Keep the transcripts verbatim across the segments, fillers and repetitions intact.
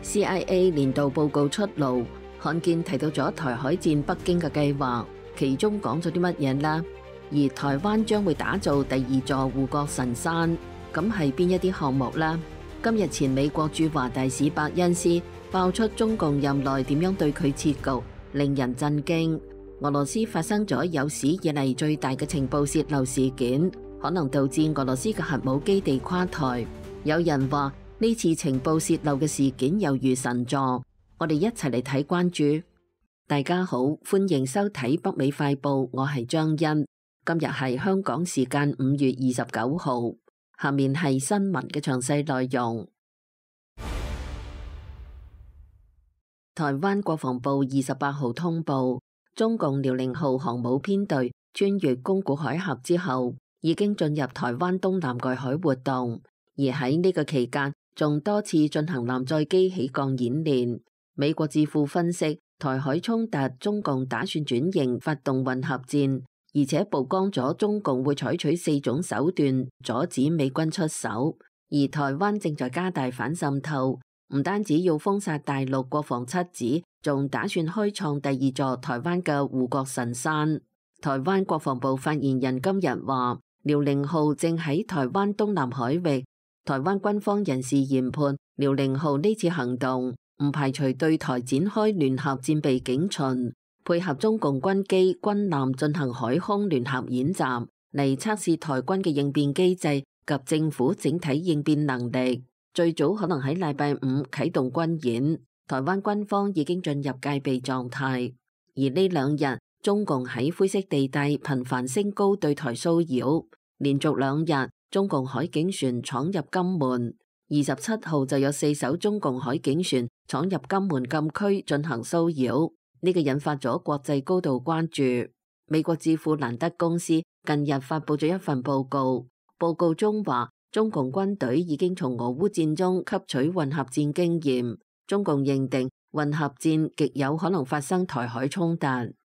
C I A 年度報告出爐，罕見提到咗台海戰北京嘅計劃，其中講咗啲乜嘢呢？而台灣將會打造第二座護國神山，咁係邊一啲項目呢？今日前美國駐華大使伯恩斯爆出中共任內點樣對佢設局，令人震驚。俄羅斯發生咗有史以嚟最大嘅情報洩漏事件，可能導致俄羅斯嘅核武基地垮台。有人話呢次情報洩漏嘅事件猶如神助，我哋一齊嚟睇關注。大家好，歡迎收睇北美快報，我係張欣。今日係香港時間五月二十九號，下面係新聞嘅詳細內容。台灣國防部二十八號通報，中共遼寧號航母編隊穿越宮古海峽之後，已經進入台灣東南外海活動，而喺呢個期間，仲多次進行艦載機起降演練。美國智庫分析，台海衝突，中共打算轉型發動混合戰，而且曝光咗中共會採取四種手段阻止美軍出手。而台灣正在加大反滲透，唔單止要封殺大陸國防七子，仲打算開創第二座台灣嘅護國神山。台灣國防部發言人今日話，遼寧號正喺台灣東南海域。台灣軍方人士研判，遼寧號呢次行動唔排除對台展開聯合戰備警巡，配合中共軍機、軍艦進行海空聯合演習，嚟測試台軍嘅應變機制及政府整體應變能力。最早可能喺禮拜五啟動軍演。台灣軍方已經進入戒備狀態，而呢兩日中共喺灰色地帶頻繁升高對台騷擾，連續兩日中共海警船闖入金門，二十七號就有四艘中共海警船闖入金門禁區進行騷擾，呢個引發咗國際高度關注。美國智庫蘭德公司近日發佈咗一份報告，報告中話中共軍隊已經從俄烏戰中吸取混合戰經驗，中共認定混合戰極有可能發生台海衝突，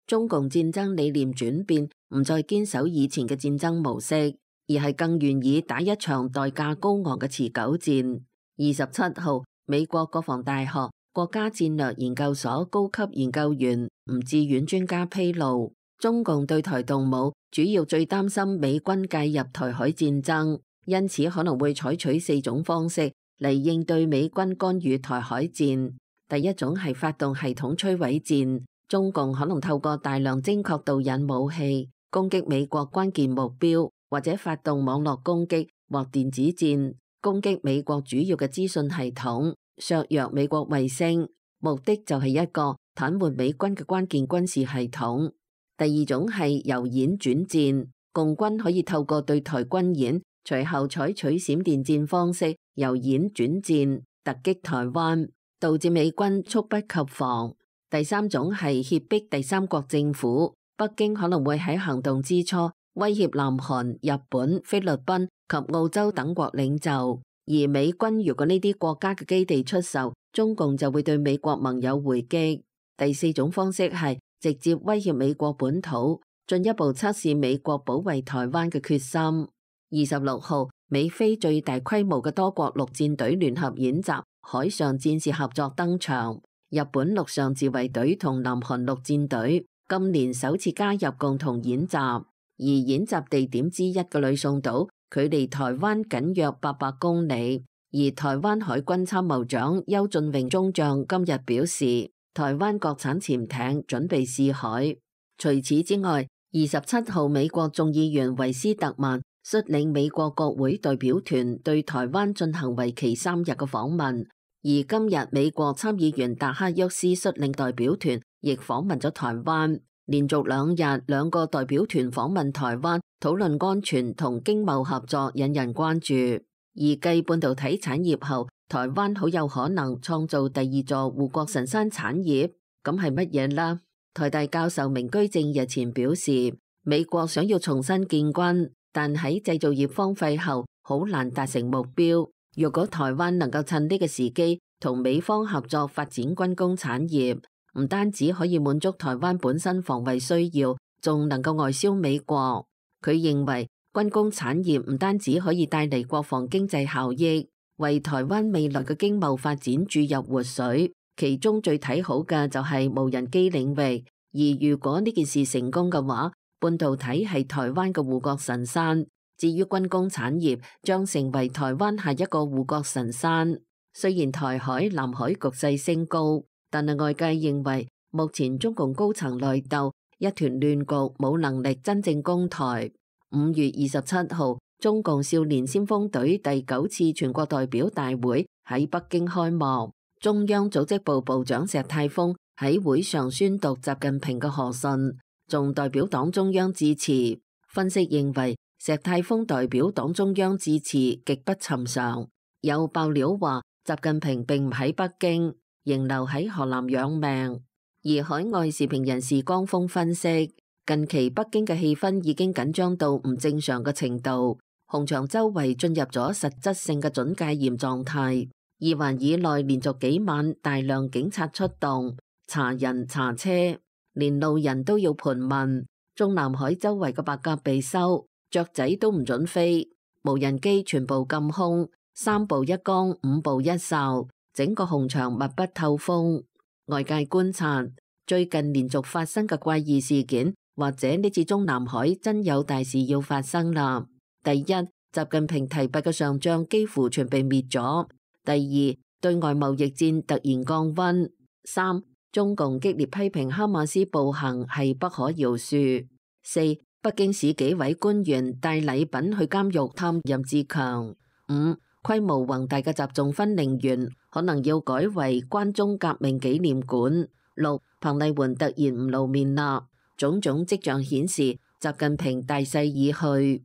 中共戰爭理念轉變，唔再堅守以前嘅戰爭模式，而係更願意打一場代價高昂嘅持久戰。二十七號，美國國防大學國家戰略研究所高級研究員吳志遠專家披露，中共對台動武主要最擔心美軍介入台海戰爭，因此可能會採取四種方式嚟應對美軍干預台海戰。第一種係發動系統摧毀戰，中共可能透過大量精確導引武器攻擊美國關鍵目標，或者發動網絡攻擊或電子戰攻擊美國主要嘅資訊系統，削弱美國衛星，目的就係一個癱瘓美軍嘅關鍵軍事系統。第二種係由演轉戰，共軍可以透過對台軍演，隨後採取閃電戰方式由演轉戰突擊台灣，導致美軍猝不及防。第三種係脅迫第三國政府，北京可能會喺行動之初威脅南韓、日本、菲律賓及澳洲等國領袖，而美軍如果呢啲國家嘅基地出售，中共就會對美國盟友回擊。第四種方式係直接威脅美國本土，進一步測試美國保衛台灣嘅決心。二十六號，美菲最大規模嘅多國陸戰隊聯合演習海上戰士合作登場，日本陸上自衛隊同南韓陸戰隊今年首次加入共同演習，而演習地點之一嘅呂宋島距離台灣僅約八百公里。而台灣海軍參謀長邱俊榮中將今日表示，台灣國產潛艇準備試海。除此之外，二十七號美國眾議員維斯特曼率領美國國會代表團對台灣進行為期三日嘅訪問，而今日美國參議員達克沃斯率領代表團亦訪問咗台灣，連續兩日兩個代表團訪問台灣，討論安全同經貿合作，引人關注。而繼半導體產業後，台灣好有可能創造第二座護國神山產業，咁係乜嘢啦？台大教授明居正日前表示，美國想要重新建軍，但喺製造業荒廢後，好難達成目標。如果台灣能夠趁呢個時機同美方合作發展軍工產業，唔單止可以滿足台灣本身防衛需要，仲能夠外銷美國。佢認為軍工產業唔單止可以帶嚟國防經濟效益，為台灣未來嘅經貿發展注入活水。其中最睇好嘅就係無人機領域，而如果呢件事成功嘅話，半導體係台灣嘅護國神山。至於軍工產業，將成為台灣下一個護國神山。雖然台海、南海局勢升高，但係外界認為目前中共高層內鬥，一團亂局，冇能力真正攻台。五月二十七號，中共少年先鋒隊第九次全國代表大會喺北京開幕。中央組織部部長石泰峰喺會上宣讀習近平嘅賀信，仲代表黨中央致辭。分析認為，石泰峰代表黨中央致辭極不尋常。有爆料話，習近平並唔喺北京，仍留喺河南養命。而海外時評人士江峰分析，近期北京嘅氣氛已經緊張到唔正常嘅程度，紅場周圍進入咗實質性嘅準戒嚴狀態。二環以內連續幾晚大量警察出動，查人查車，連路人都要盤問。中南海周圍嘅白鴿被收，雀仔都唔准飛，無人機全部禁空，三步一崗，五步一哨，整個紅場密不透風。外界觀察，最近連續發生嘅怪異事件，或者呢次中南海真有大事要發生啦。第一，習近平提拔嘅上將幾乎全被滅咗。第二，對外貿易戰突然降溫。三，中共激烈批評哈馬斯暴行係不可饒恕。四，北京市紀委官員帶禮品去監獄探任志強。五，規模宏大嘅習仲勳陵園可能要改為關中革命紀念館。六，彭麗媛突然唔露面啦，種種跡象顯示習近平大勢已去。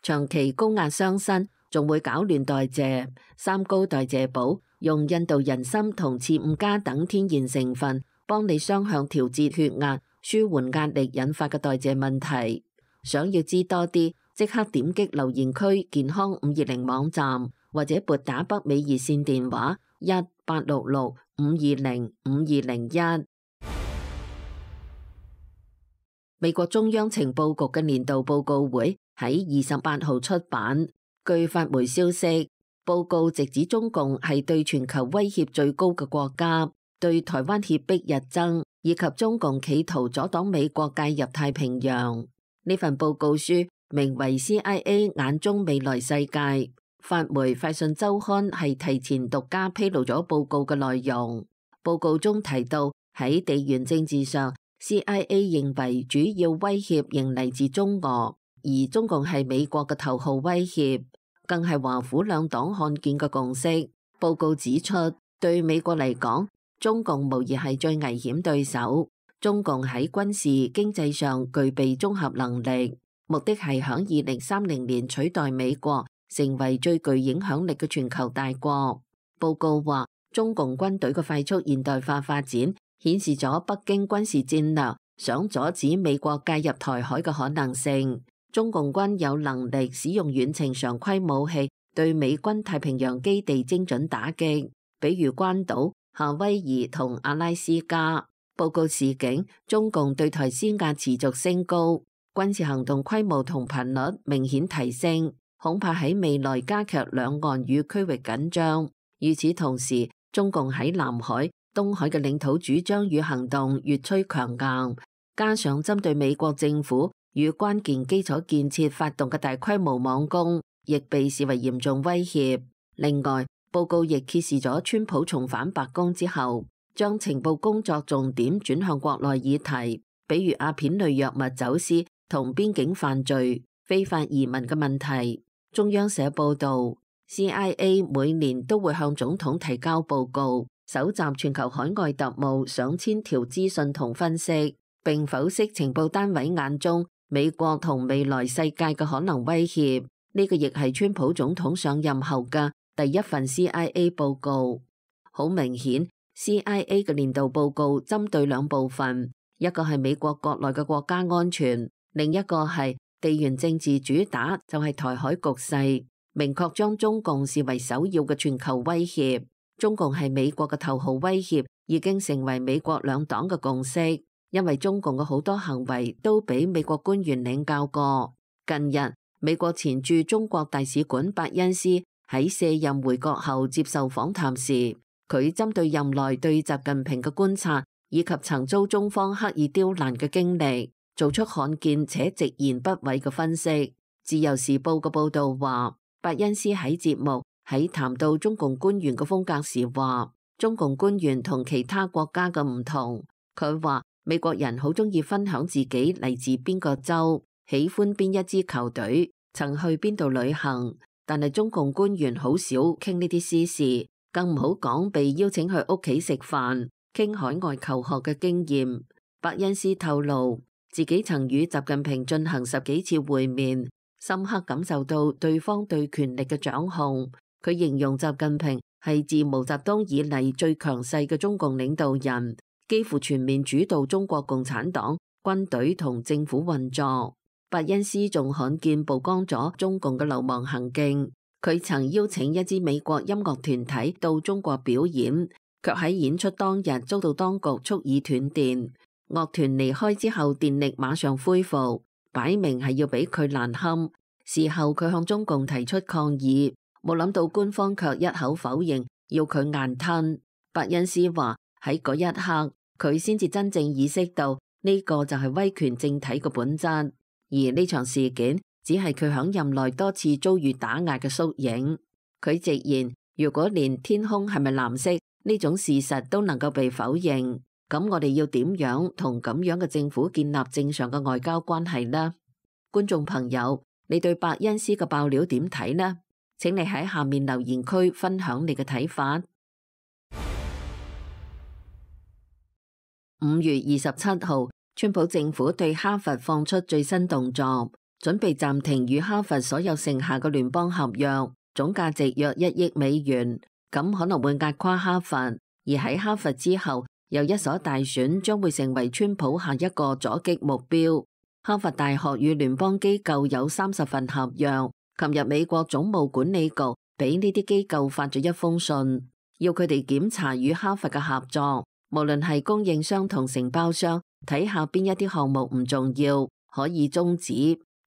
長期高壓傷身，仲會搞亂代謝。三高代謝寶用印度人參同刺五加等天然成分，幫你雙向調節血壓，舒緩壓力引發嘅代謝問題。想要知多啲，即刻點擊留言區健康五二零網站，或者撥打北美熱線電話一八六六五二零五二零一。美國中央情報局嘅年度報告會喺二十八號出版。據法媒消息，報告直指中共係對全球威脅最高嘅國家，對台灣脅迫日增，以及中共企圖阻擋美國介入太平洋。呢份報告書名為《C I A 眼中未來世界》。法媒快訊週刊係提前獨家披露咗報告嘅內容。報告中提到，喺地緣政治上 ，C I A 認為主要威脅仍嚟自中俄，而中共係美國嘅頭號威脅。更係華府兩黨看見嘅共識。報告指出，對美國嚟講，中共無疑係最危險對手。中共喺軍事、經濟上具備綜合能力，目的係響二零三零年取代美國，成為最具影響力嘅全球大國。報告話，中共軍隊嘅快速現代化發展，顯示咗北京軍事戰略想阻止美國介入台海嘅可能性。中共軍有能力使用遠程常規武器對美軍太平洋基地精準打擊，比如關島、夏威夷同阿拉斯加。報告示警，中共對台施壓持續升高，軍事行動規模同頻率明顯提升，恐怕喺未來加劇兩岸與區域緊張。與此同時，中共喺南海、東海嘅領土主張與行動越趨強硬，加上針對美國政府與關鍵基礎建設發動嘅大規模網攻，亦被視為嚴重威脅。另外，報告亦揭示咗川普重返白宮之後，將情報工作重點轉向國內議題，比如阿片類藥物走私同邊境犯罪、非法移民嘅問題。中央社報道， C I A 每年都會向總統提交報告，搜集全球海外特務上千條資訊同分析，並剖析情報單位眼中美國同未來世界嘅可能威脅。呢個亦係川普總統上任後嘅第一份 C I A 報告。好明顯， C I A 嘅年度報告針對兩部分，一個係美國國內嘅國家安全，另一個係地緣政治主打，就係台海局勢，明確將中共視為首要嘅全球威脅。中共係美國嘅頭號威脅，已經成為美國兩黨嘅共識。因為中共嘅好多行為都俾美國官員領教過。近日，美國前駐中國大使館伯恩斯喺卸任回國後接受訪談時，佢針對任內對習近平嘅觀察，以及曾遭中方刻意刁難嘅經歷，做出罕見且直言不諱嘅分析。自由時報嘅報導話，伯恩斯喺節目喺談到中共官員嘅風格時話，中共官員同其他國家嘅唔同。佢話美國人好鍾意分享自己嚟自邊個州，喜歡邊一支球隊，曾去邊度旅行，但係中共官員好少傾呢啲私事，更唔好講被邀請去屋企食飯，傾海外求學嘅經驗。伯恩斯透露自己曾與習近平進行十幾次會面，深刻感受到對方對權力嘅掌控。佢形容習近平係自毛澤東以嚟最強勢嘅中共領導人，幾乎全面主導中國共產黨、軍隊同政府運作。伯恩斯仲罕見曝光咗中共嘅流氓行徑。佢曾邀請一支美國音樂團體到中國表演，卻喺演出當日遭到當局蓄意斷電。樂團離開之後，電力馬上恢復，擺明係要俾佢難堪。事後佢向中共提出抗議，冇諗到官方卻一口否認，要佢硬吞。伯恩斯話喺嗰一刻，佢先至真正意識到呢個就係威權政體嘅本質，而呢場事件只係佢響任內多次遭遇打壓嘅縮影。佢直言，如果連天空係咪藍色呢種事實都能夠被否認，咁我哋要點樣同咁樣嘅政府建立正常嘅外交關係呢？觀眾朋友，你對伯恩斯嘅爆料點睇呢？請你喺下面留言區分享你嘅睇法。五月二十七號，川普政府對哈佛放出最新動作，準備暫停與哈佛所有剩下嘅聯邦合約，總價值約一億美元，咁可能會壓垮哈佛。而喺哈佛之後，又一所大選將會成為川普下一個阻擊目標。哈佛大學與聯邦機構有三十份合約。琴日美國總務管理局俾呢啲機構發咗一封信，要佢哋檢查與哈佛嘅合作，無論係供應商同承包商，睇下邊一啲項目唔重要可以終止，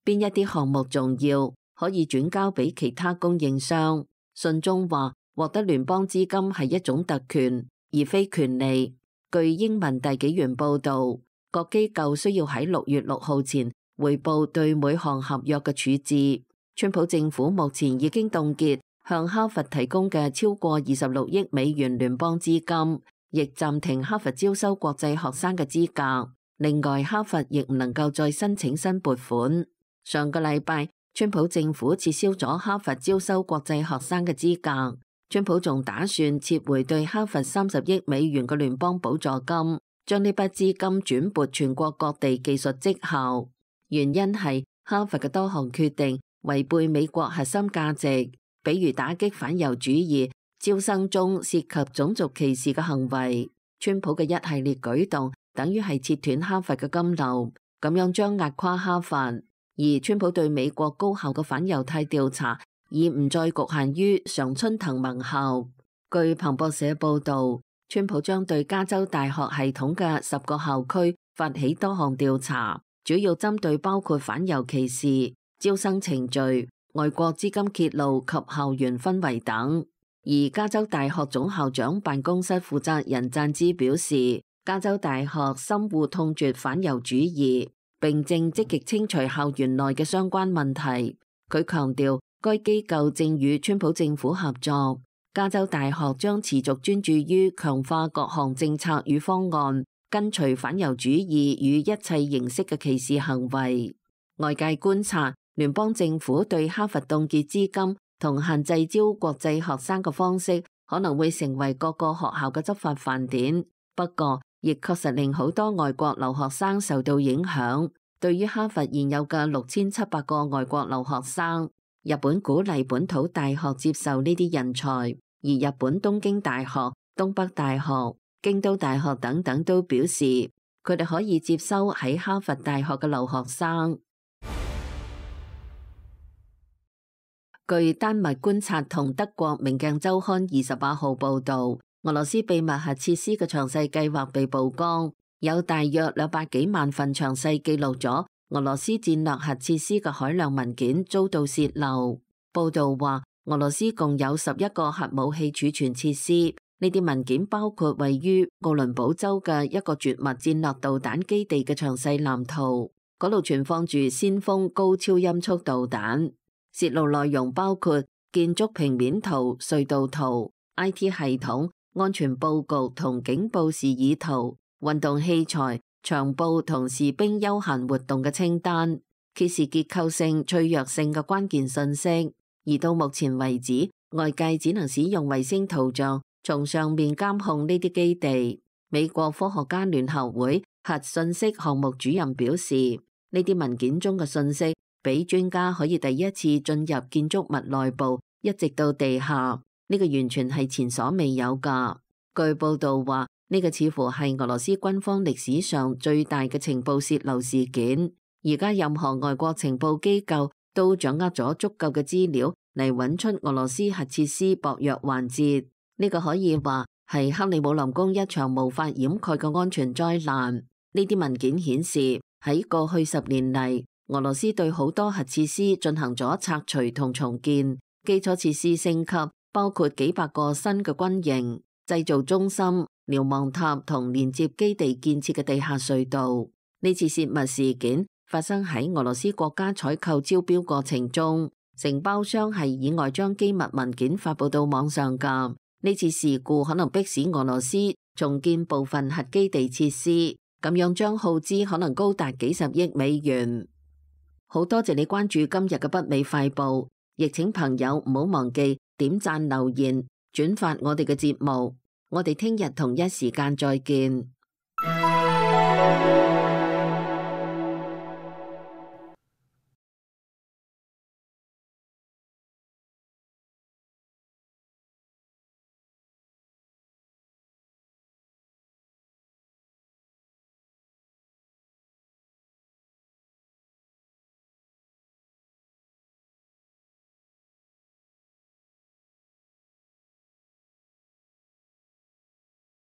邊一啲項目重要可以轉交俾其他供應商。信中話，獲得聯邦資金係一種特權，而非權利。據英文大紀元報道，各機構需要喺六月六號前匯報對每項合約嘅處置。川普政府目前已經凍結向哈佛提供嘅超過二十六億美元聯邦資金，亦暫停哈佛招收國際學生嘅資格。另外，哈佛亦唔能夠再申請新撥款。上個禮拜，川普政府撤銷咗哈佛招收國際學生嘅資格。川普仲打算撤回對哈佛三十億美元嘅聯邦補助金，將呢筆資金轉撥全國各地技術績效。原因係哈佛嘅多項決定違背美國核心價值，比如打擊反猶主義、招生中涉及種族歧視嘅行為。川普嘅一系列舉動等於係切斷哈佛嘅金流，咁樣將壓垮哈佛。而川普對美國高校嘅反猶太調查已唔再局限於常春藤盟校。據彭博社報道，川普將對加州大學系統嘅十個校區發起多項調查，主要針對包括反猶歧視、招生程序、外國資金揭露及校園氛圍等。而加州大學總校長辦公室負責人贊茲表示，加州大學深惡痛絕反猶主義，並正積極清除校園內嘅相關問題。佢強調，該機構正與川普政府合作。加州大學將持續專注於強化各項政策與方案，根除反猶主義與一切形式嘅歧視行為。外界觀察，聯邦政府對哈佛凍結資金同限制招國際學生嘅方式，可能會成為各個學校嘅執法範典。不過，亦確實令好多外國留學生受到影響。對於哈佛現有嘅六千七百個外國留學生，日本鼓勵本土大學接受呢啲人才，而日本東京大學、東北大學、京都大學等等都表示，佢哋可以接收喺哈佛大學嘅留學生。據丹麥觀察同德國明鏡週刊二十八號報導，俄羅斯秘密核設施嘅詳細計劃被曝光，有大約兩百幾萬份詳細記錄咗俄羅斯戰略核設施嘅海量文件遭到洩漏。報導話，俄羅斯共有十一個核武器儲存設施。呢啲文件包括位於奧倫堡州嘅一個絕密戰略導彈基地嘅詳細藍圖，嗰度存放住先鋒高超音速導彈。泄露內容包括建築平面圖、隧道圖、I T 系統、安全佈局同警報示意圖、運動器材、場佈同士兵休閒活動嘅清單，揭示結構性、脆弱性嘅關鍵信息。而到目前為止，外界只能使用衛星圖像從上面監控呢啲基地。美國科學家聯合會核信息項目主任表示，呢啲文件中嘅信息俾專家可以第一次進入建築物內部，一直到地下。呢個完全係前所未有㗎。據報道話，呢個似乎係俄羅斯軍方歷史上最大嘅情報洩漏事件。而家任何外國情報機構都掌握咗足夠嘅資料嚟揾出俄羅斯核設施薄弱環節。呢個可以話係克里姆林宮一場無法掩蓋嘅安全災難。呢啲文件顯示，喺過去十年嚟，俄羅斯對好多核設施進行咗拆除同重建，基礎設施升級，包括幾百個新嘅軍營、製造中心、瞭望塔同連接基地建設嘅地下隧道。呢次泄密事件發生喺俄羅斯國家採購招標過程中，承包商係意外將機密文件發佈到網上㗎。呢次事故可能迫使俄羅斯重建部分核基地設施，咁樣將耗資可能高達幾十億美元。好多謝你關注今日嘅北美快報，亦請朋友唔好忘記點讚、留言、轉發我哋嘅節目。我哋聽日同一時間再見。